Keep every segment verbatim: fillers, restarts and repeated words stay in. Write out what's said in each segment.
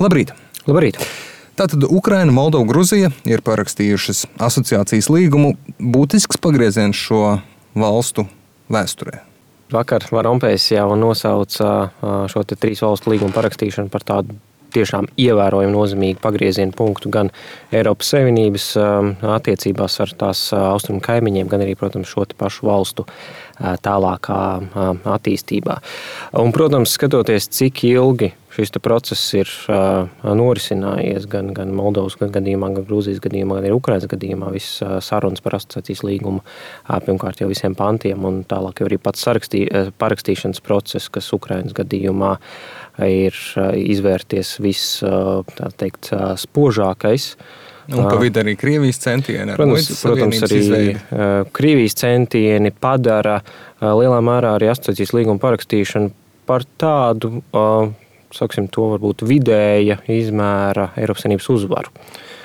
Labrīt! Labrīt! Tātad Ukraina, Moldova, Gruzija ir parakstījušas asociācijas līgumu. Būtisks pagrieziens šo valstu vēsturē. Vakar Van Rompējs jau nosauca šo te trīs valstu līgumu parakstīšanu par tādu tiešām ievērojumu nozīmīgu pagriezienu punktu gan Eiropas Savienības attiecībās ar tās austrumu kaimiņiem, gan arī, protams, šo te pašu valstu tālākā attīstībā. Un, protams, skatoties, cik ilgi šis process ir norisinājies gan, gan Moldovas gadījumā, gan Grūzijas gadījumā, gan arī Ukrainas gadījumā, viss sarunas par asociācijas līgumu, pirmkārt jau visiem pantiem, un tālāk jau arī pats parakstīšanas process, kas Ukrainas gadījumā ir izvērties viss, tā teikt, spožākais. Un pa vidu arī Krievijas centieni. Protams, protams arī izveidi. Krievijas centieni padara lielā mērā arī asociācijas līgumu parakstīšanu par tādu, saksim, to varbūt vidēja izmēra Eiropas Savienības uzvaru.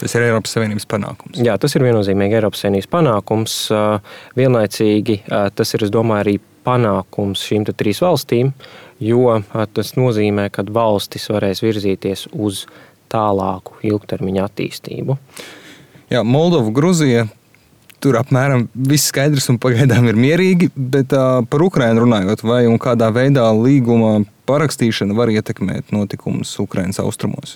Tas ir Eiropas Savienības panākums. Jā, tas ir viennozīmīgi Eiropas Savienības panākums. Vienlaicīgi tas ir, es domāju, arī panākums šīm te trīs valstīm, jo tas nozīmē, ka valstis varēs virzīties uz tālāku ilgtermiņa attīstību. Jā, Moldova, Gruzija, tur apmēram viss skaidrs un pagaidām ir mierīgi, bet uh, par Ukrainu runājot, vai un kādā veidā līguma parakstīšana var ietekmēt notikumus Ukrainas austrumos?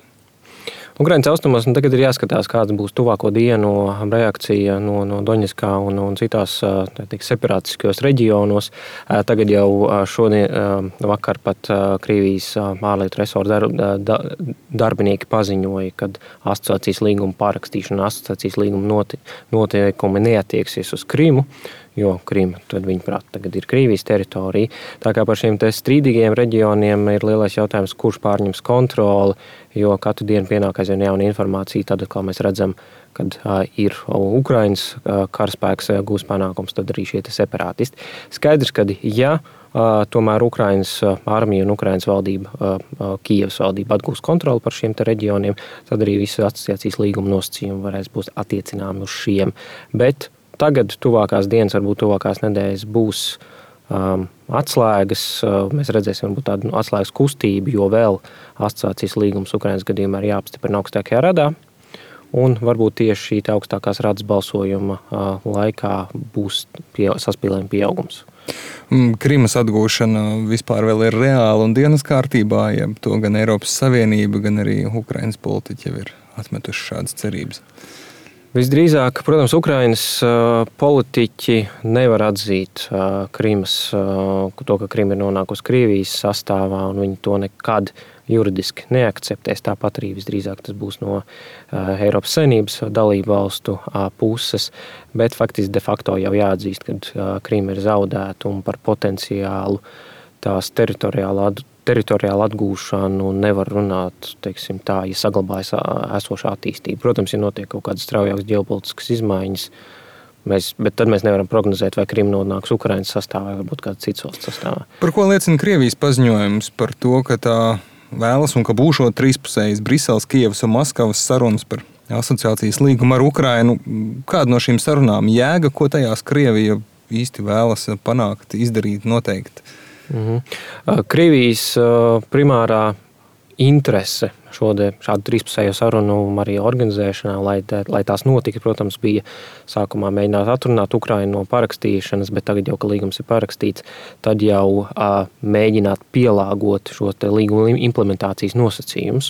Ukrainas austrumos un tagad ir jāskatās, kāds būs tuvāko dienu reakcija no, no Doņetskā un, un citās teikt, separātiskajos reģionos. Tagad jau šodien vakar pat Krievijas ārlietu resorta dar, darbinieki paziņoja, ka asociācijas līguma parakstīšana, asociācijas līguma noteikumi neatieksies uz Krimu, jo Krima, tad viņuprāt, tagad ir Krievijas teritorija. Tā kā par šiem te strīdīgiem reģioniem ir lielais jautājums, kurš pārņems kontroli, jo katru dienu pienāk aizvien jauna informācija. Tad, kā mēs redzam, kad uh, ir Ukrainas uh, karaspēks uh, gūs panākums, tad arī šie te separātisti. Skaidrs, ka ja uh, tomēr Ukrainas uh, armija un Ukrainas valdība, uh, uh, Kijevas valdība atgūs kontroli par šiem te reģioniem, tad arī visi asociācijas līguma nosacījumi varēs būt attiecināmi uz šiem. Bet tagad tuvākās dienas, varbūt tuvākās nedēļas būs um, atslēgas. Uh, mēs redzēsim varbūt tādu atslēgas kustību, jo vēl asociācijas līgums Ukrainas gadījumā ir jāapstiprina augstākajā radā. Un varbūt tieši šī augstākās radas balsojuma uh, laikā būs pie, saspīlējuma pieaugums. Krimas atgūšana vispār vēl ir reāla un dienas kārtībā, ja to gan Eiropas Savienība, gan arī Ukrainas politiķi jau ir atmetuši šādas cerības. Visdrīzāk, protams, Ukrainas uh, politiķi nevar atzīt uh, Krimas, uh, to, ka Krima ir nonākusi Krievijas sastāvā, un viņi to nekad juridiski neakceptēs. Tāpat arī visdrīzāk tas būs no uh, Eiropas Savienības dalību valstu uh, puses, bet faktiski de facto jau jāatzīst, ka uh, Krima ir zaudēta un par potenciālu tās teritoriālu atgūšanu. teritoriālu atgūšanu nevar runāt, teiksim tā, ja saglabājas esošā attīstība. Protams, ja notiek kaut kādas straujākas ģeopolitiskas izmaiņas, mēs, bet tad mēs nevaram prognozēt, vai Krima nonāks Ukrainas sastāvā, vai varbūt kāds cits valsts sastāvā. Par ko liecina Krievijas paziņojums par to, ka tā vēlas un ka būšot trīspusējas Briseles, Kijevas un Maskavas sarunas par asociācijas līgumu ar Ukrainu? Kāda no šīm sarunām jēga, ko tajās Krievija īsti vēlas panākt, izdarīt, noteikt? Mhm. Krievijas primārā interese šode, šādu trīspusējo sarunu arī organizēšanā, lai, tā, lai tās notika, protams, bija sākumā mēģināt atrunāt Ukrainu no parakstīšanas, bet tagad jau, ka līgums ir parakstīts, tad jau uh, mēģināt pielāgot šo te līguma implementācijas nosacījumus.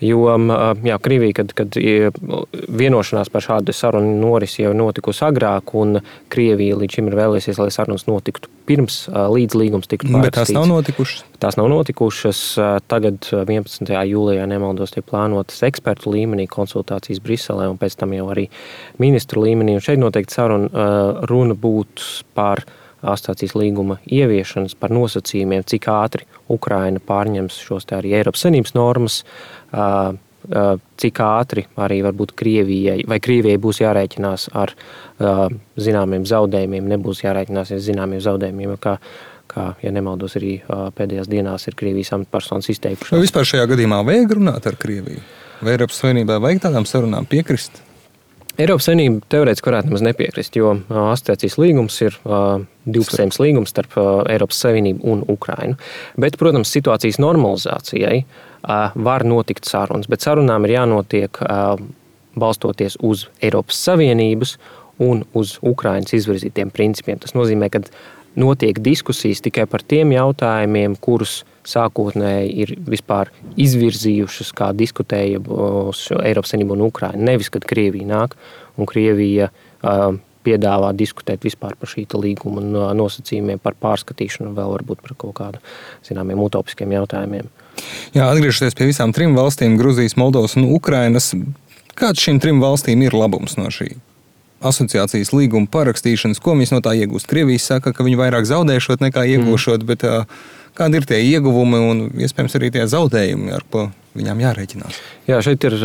Jo, uh, jā, Krievija, kad, kad vienošanās par šādu sarunu norisi jau notikusi agrāk, un Krievija līdz šim ir vēlēsies, lai sarunas notiktu pirms, uh, līdz līgums tiktu parakstīts. Bet tās nav notikušas? Tās nav notikušas. Tagad vienpadsmitajā jūlijā nemaldos tiek plānotas ekspertu līmenī konsultācijas Briselē un pēc tam jau arī ministru līmenī. Un šeit noteikti saruna runa būtu par asociācijas līguma ieviešanas, par nosacījumiem, cik ātri Ukraina pārņems šos te arī Eiropas Savienības normas, cik ātri arī varbūt Krievijai, vai Krievijai būs jārēķinās ar zināmiem zaudējumiem, nebūs jārēķinās ar zināmiem zaudējumiem, kā kā, ja nemaldos, arī pēdējās dienās ir Krievijas amatpersonas izteikušās. Vai vispār šajā gadījumā vajag runāt ar Krieviju? Vai Eiropas Savienībā vajag tādām sarunām piekrist? Eiropas Savienība teorētiski varētu nemaz nepiekrist, jo asociācijas līgums ir divpusējs līgums starp Eiropas Savienību un Ukrainu. Bet, protams, situācijas normalizācijai var notikt sarunas. Bet sarunām ir jānotiek balstoties uz Eiropas Savienības un uz Ukrainas izvirzītiem principiem. Tas nozīmē, ka notiek diskusijas tikai par tiem jautājumiem, kurus sākotnēji ir vispār izvirzījušas, kā diskutēja Eiropas Savienība un Ukraina. Nevis, kad Krievija nāk un Krievija piedāvā diskutēt vispār par šī līguma nosacījumiem, par pārskatīšanu, vēl varbūt par kaut kādu zināmiem utopiskiem jautājumiem. Jā, atgriežoties pie visām trim valstīm, Gruzijas, Moldovas un Ukrainas, kāds šīm trim valstīm ir labums no šī asociācijas līguma parakstīšanas? Ko mēs no tā iegūst? Krievija saka, ka viņi vairāk zaudēšot nekā iegūšot, mm. bet kādi ir tie ieguvumi un iespējams arī tie zaudējumi, ar ko viņām jārēķinās? Jā, šeit ir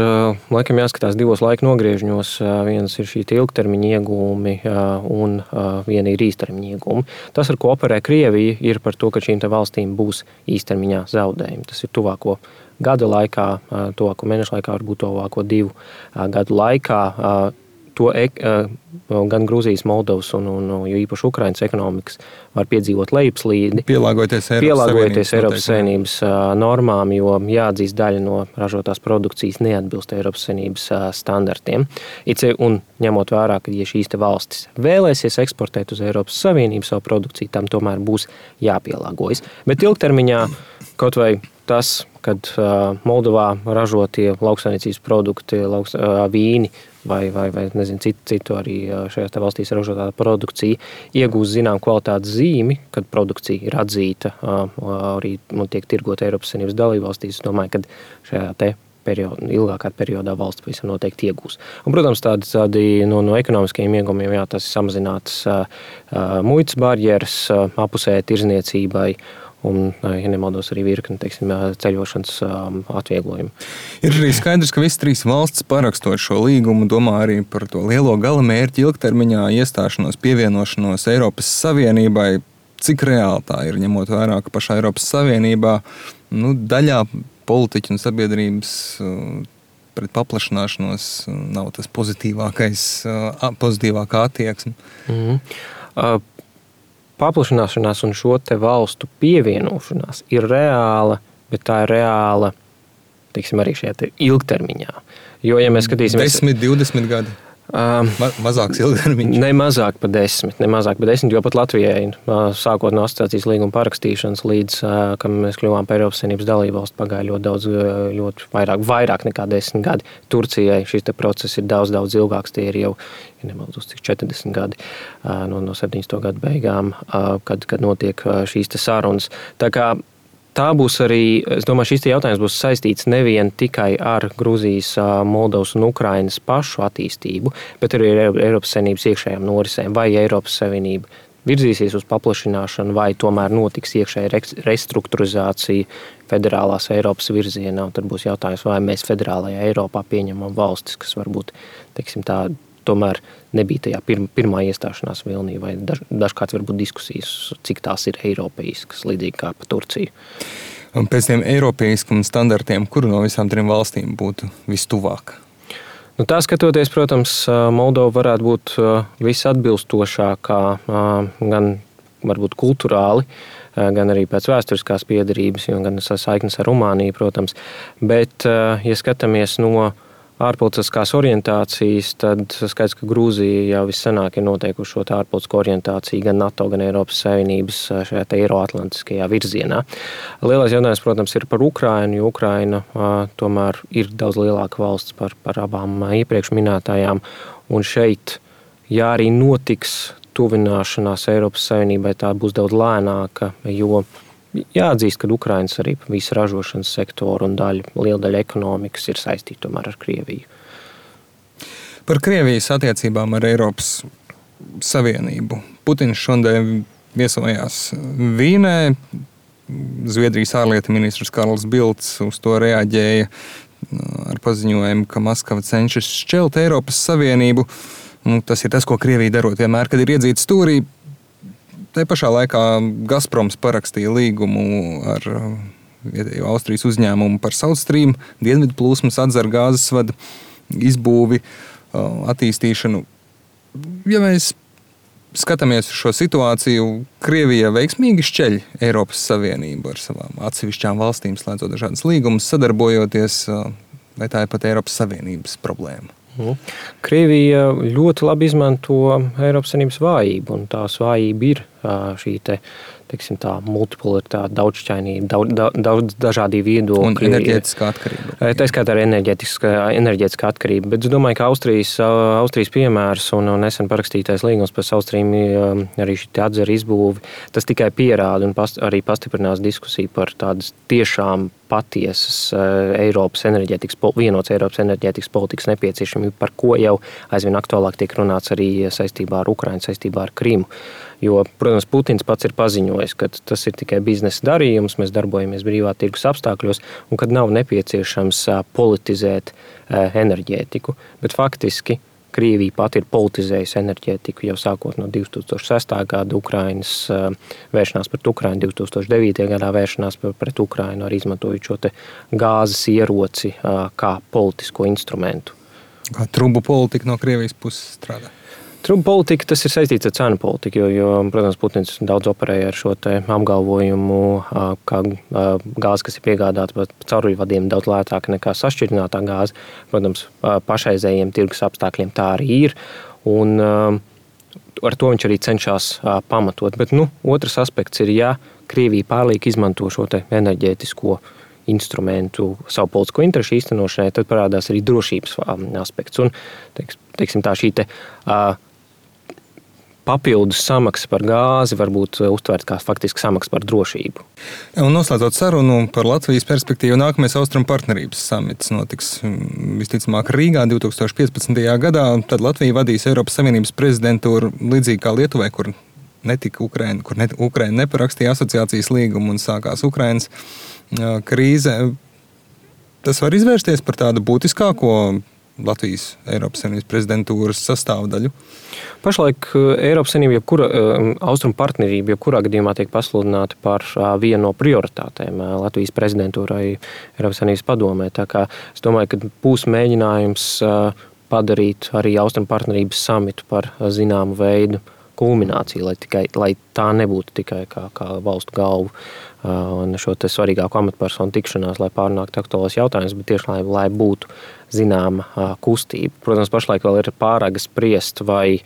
laikam jāskatās divos laika nogriežņos. Viens ir šī ilgtermiņa ieguvumi un viena ir īstermiņa ieguvumi. Tas, ar ko operē Krievija, ir par to, ka šīm te valstīm būs īstermiņā zaudējumi. Tas ir tuvāko gada laikā, tuvāko mēnešu laikā, varbūt tuvāko divu gadu laikā. To gan Gruzijas, Moldovas un, un jo īpaši Ukrainas ekonomikas var piedzīvot lejupslīdi. Pielāgoties Eiropas Pielāgoties Eiropas Savienības normām, jo jāatzīst daļa no ražotās produkcijas neatbilst Eiropas Savienības standartiem. Un ņemot vērā, ka ja šīs te valstis vēlēsies eksportēt uz Eiropas Savienību savu produkciju, tam tomēr būs jāpielāgojas. Bet ilgtermiņā kaut vai tas, kad Moldovā ražotie lauksaimniecības produkti, lauks, vīni, vai, vai, vai nezinu, citu, citu arī šajās valstīs ražotā produkcija iegūst zinām kvalitātes zīmi, kad produkcija ir atzīta, arī nu, tiek tirgota Eiropas Savienības dalībvalstīs. Es domāju, ka šajā te periodā, ilgākā periodā valsts pavisam noteikti iegūs. Un, protams, tādi, tādi no, no ekonomiskajiem iegumiem, jā, tas ir samazinātas muitas barjeras apusēji tirzniecībai, un, ja nemaldos, arī virkni, teiksim, ceļošanas atvieglojumu. Ir arī skaidrs, ka visas trīs valstis parakstot šo līgumu domā arī par to lielo galamērķi ilgtermiņā iestāšanos, pievienošanos Eiropas Savienībai. Cik reāli tā ir, ņemot vērā, ka pašā Eiropas Savienībā nu, daļā politiķu un sabiedrības pret paplašanāšanos nav tas pozitīvākais, pozitīvākā attieksme? Mm-hmm. Uh, Paplašanāšanās un šo te valstu pievienošanās ir reāla, bet tā ir reāla, teiksim, arī šajā te ilgtermiņā. Jo, ja mēs skatīsimies... desmit, divdesmit gadi? Um, Ma, mazāks ilgtermiņš? Ne mazāk pa desmit, ne mazāk pa desmit, jo pat Latvijai sākot no asociācijas līguma parakstīšanas līdz, kam mēs kļuvām par Eiropas Savienības dalībvalstu, pagāja ļoti daudz, ļoti vairāk, vairāk nekā desmit gadi. Turcijai šis te process ir daudz, daudz ilgāks, tie ir jau, ja nemaldos, cik četrdesmit gadi no, no septiņdesmito gadu beigām, kad, kad notiek šīs te sarunas. Tā kā tā būs arī, es domāju, šis jautājums būs saistīts nevien tikai ar Gruzijas, Moldovas un Ukrainas pašu attīstību, bet arī ar Eiropas Savienības iekšējām norisēm. Vai Eiropas Savienība virzīsies uz paplašināšanu, vai tomēr notiks iekšēja restruktūrizācija federālās Eiropas virzienā. Un tad būs jautājums, vai mēs federālajā Eiropā pieņemam valstis, kas varbūt, teiksim tā, tomēr nebija tajā pirma, pirmā iestāšanās vilnī, vai daž, dažkārt varbūt diskusijas, cik tās ir eiropeiskas, līdzīgi kā pa Turciju. Un pēc tiem eiropeiskiem standartiem, kuru no visām trim valstīm būtu vistuvāk? Nu, tā skatoties, protams, Moldova varētu būt visatbilstošākā, gan varbūt kulturāli, gan arī pēc vēsturiskās piederības, gan saiknes ar Rumāniju, protams. Bet, ja skatāmies no ārpolitiskās orientācijas, tad skaidrs, ka Grūzija jau vissenāk ir noteikuši šo ārpolitisko orientāciju gan NATO, gan Eiropas Savienības šajā te eiroatlantiskajā virzienā. Lielais jautājums, protams, ir par Ukrainu, jo Ukraina tomēr ir daudz lielāka valsts par, par abām iepriekš minētājām. Un šeit, ja arī notiks tuvināšanās Eiropas Savienībai, tā būs daudz lēnāka, jo jāatzīst, ka Ukrainas arī visa ražošanas sektora un daļa, liela daļa ekonomikas ir saistīta tomēr ar Krieviju. Par Krievijas attiecībām ar Eiropas Savienību. Putins šodien viesojās Vīnē. Zviedrijas ārlietu ministrs Karls Bildts uz to reaģēja ar paziņojumu, ka Maskava cenšas šķelt Eiropas Savienību. Tas ir tas, ko Krievija darot vienmēr, kad ir iedzīta stūrī. Te pašā laikā Gazproms parakstīja līgumu ar Austrijas uzņēmumu par South Stream, dienvidu plūsmas atzara gāzes vada izbūvi, attīstīšanu. Ja mēs skatāmies uz šo situāciju, Krievija veiksmīgi šķeļ Eiropas Savienību ar savām atsevišķām valstīm, slēdzot dažādas līgumus, sadarbojoties, vai tā ir pat Eiropas Savienības problēma? Krievija ļoti labi izmanto Eiropas Savienības vājību, un tās vājība ir šī te, teiksim tā, multipolaritāte, daudzšķainība, daudz, daudz dažādi viedokļi. Un enerģētiskā atkarība. Tā skaitā arī enerģētiskā, enerģētiskā atkarība, bet es domāju, ka Austrijas, Austrijas piemērs un nesen parakstītais līgums par South Stream, arī šī atzara izbūvi, tas tikai pierāda un past, arī pastiprinās diskusiju par tādas tiešām patiesas Eiropas enerģētikas, vienots Eiropas enerģētikas politikas nepieciešamību, par ko jau aizvien aktuālāk tiek runāts arī saistībā ar Ukrainu, saistībā ar Krimu. Jo, protams, Putins pats ir paziņojis, ka tas ir tikai biznesa darījums, mēs darbojamies brīvā tirgus apstākļos un kad nav nepieciešams politizēt enerģētiku. Bet faktiski Krievija pati ir politizējusi enerģētiku jau sākot no divi tūkstoši sestā gada Ukrainas vēršanās pret Ukrainu, divi tūkstoši devītajā gadā vēršanās pret Ukrainu, arī izmantojot šo te gāzes ieroci kā politisko instrumentu. Kā trubu politika no Krievijas puses strādā? Trubu politika, tas ir saistīts ar cenu politiku, jo, jo, protams, Putins daudz operēja ar šo te apgalvojumu, ka gāze, kas ir piegādāta pa cauruļvadiem, daudz lētāka nekā sašķirinātā gāze. Protams, pašreizējiem tirgus apstākļiem tā arī ir, un ar to viņš arī cenšas pamatot. Bet, nu, otrs aspekts ir, ja Krievija pārliek izmanto šo te enerģētisko instrumentu savu politisko interešu īstenošanai, tad parādās arī drošības aspekts. Un, teiks, teiksim tā, šī te uh, papildus samaksa par gāzi var būt uztvērta kā faktiski samaksa par drošību. Un noslēdzot sarunu par Latvijas perspektīvu, nākamais Austrumu partnerības samits notiks visticamāk Rīgā divi tūkstoši piecpadsmitajā gadā. Tad Latvija vadīs Eiropas Savienības prezidentūru līdzīgi kā Lietuvai, kur netika Ukraina, kur ne, Ukraina neparakstīja asociācijas līgumu un sākās Ukrainas krīze. Tas var izvērsties par tādu būtiskāko Latvijas Eiropas Savienības prezidentūras sastāvdaļu? Pašlaik Eiropas Savienība, jebkura austrumu partnerība, jebkurā gadījumā tiek pasludināta par vienu no prioritātēm Latvijas prezidentūrai Eiropas Savienības padomē. Tā kā es domāju, ka būs mēģinājums padarīt arī austrumu partnerības samitu par zināmu veidu kulmināciju, lai, tikai, lai tā nebūtu tikai kā, kā valstu galvu un šo te svarīgāko amatpersonu tikšanās, lai pārnāktu aktuālos jautājumus, bet tieši lai, lai būtu zināma kustība. Protams, pašlaik vēl ir pārāk spriest, vai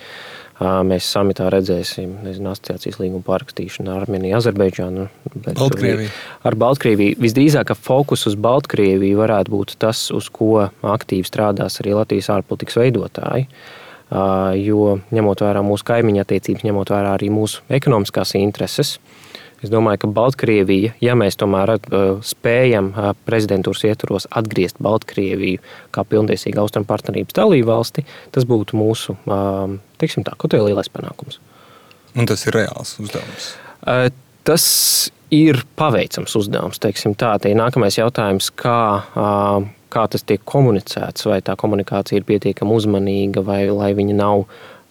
mēs samitā redzēsim, nezinu, asociācijas līgumu pārakstīšanu ar Armēniju, Azerbaidžānu. Baltkrieviju. Ar Baltkrieviju. Visdrīzāk, ka fokus uz Baltkrieviju varētu būt tas, uz ko aktīvi strādās arī Latvijas ārpolitikas veidotāji. Jo ņemot vērā mūsu kaimiņu attiecības, ņemot vērā arī mūsu ekonomiskās intereses, es domāju, ka Baltkrievija, ja mēs tomēr spējam prezidentūras ietvaros atgriezt Baltkrieviju kā pilntiesīgu austrumu partnerības dalību valsti, tas būtu mūsu, teiksim tā, kaut kā lielais panākums. Un tas ir reāls uzdevums? Tas ir paveicams uzdevums, teiksim tā. Te ir nākamais jautājums, kā kā tas tiek komunicēts, vai tā komunikācija ir pietiekami uzmanīga, vai lai viņa nav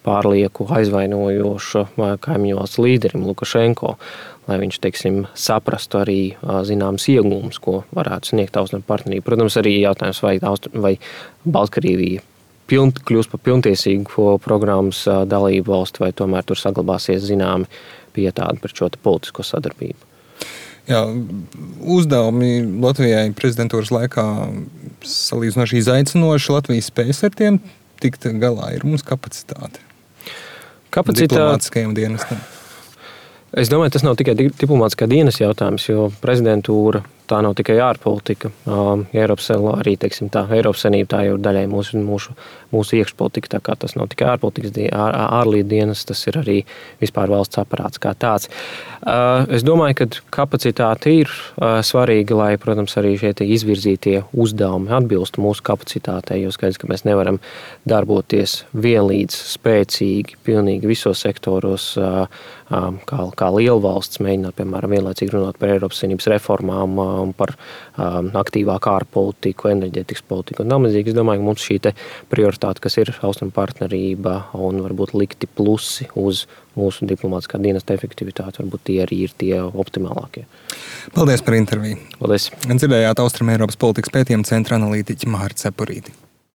pārlieku aizvainojoša kaimiņu valsts līderim Lukašenko, lai viņš, teiksim, saprastu arī zināmas iegūmus, ko varētu sniegt austrumu partnerība. Protams, arī jautājums, vai, vai Baltkrievija piln, kļūs par pilntiesīgu programmas dalību valsti, vai tomēr tur saglabāsies zināmi pietādi par šo politisko sadarbību. Jā, uzdevumi Latvijai prezidentūras laikā salīdzinoši izaicinoši. Latvija spējas ar tiem tikt galā. Ir mums kapacitāte? Kapacitāte diplomātiskajam dienestam. Es domāju, tas nav tikai diplomātiskā dienas jautājums, jo prezidentūra tā nav tikai ārpolitika. Eiropas arī, teiksim tā, Eiropas Savienība tā jau ir daļai mūsu, mūsu, mūsu iekšpolitika, tā kā tas nav tikai ārpolitikas, ār, ārlietu dienas, tas ir arī vispār valsts aparāts kā tāds. Es domāju, ka kapacitāte ir svarīga, lai, protams, arī šie izvirzītie uzdevumi atbilstu mūsu kapacitātei, jo skaidrs, ka mēs nevaram darboties vienlīdz spēcīgi, pilnīgi visos sektoros, kā, kā liela valsts, mēģināt, piemēram, vienlaicīgi runāt par Eiropas Savienības reformām, un par um, aktīvāku ārpolitiku, enerģētikas politiku un tamlīdzīgi. Es domāju, ka mums šī te prioritāte, kas ir austrumu partnerība un varbūt likti plusi uz mūsu diplomātiskā dienesta efektivitāti, varbūt tie arī ir tie optimālākie. Paldies par interviju. Paldies. Dzirdējāt Austrum Eiropas politikas pētījuma centra analītiķi Māri Cepurīti.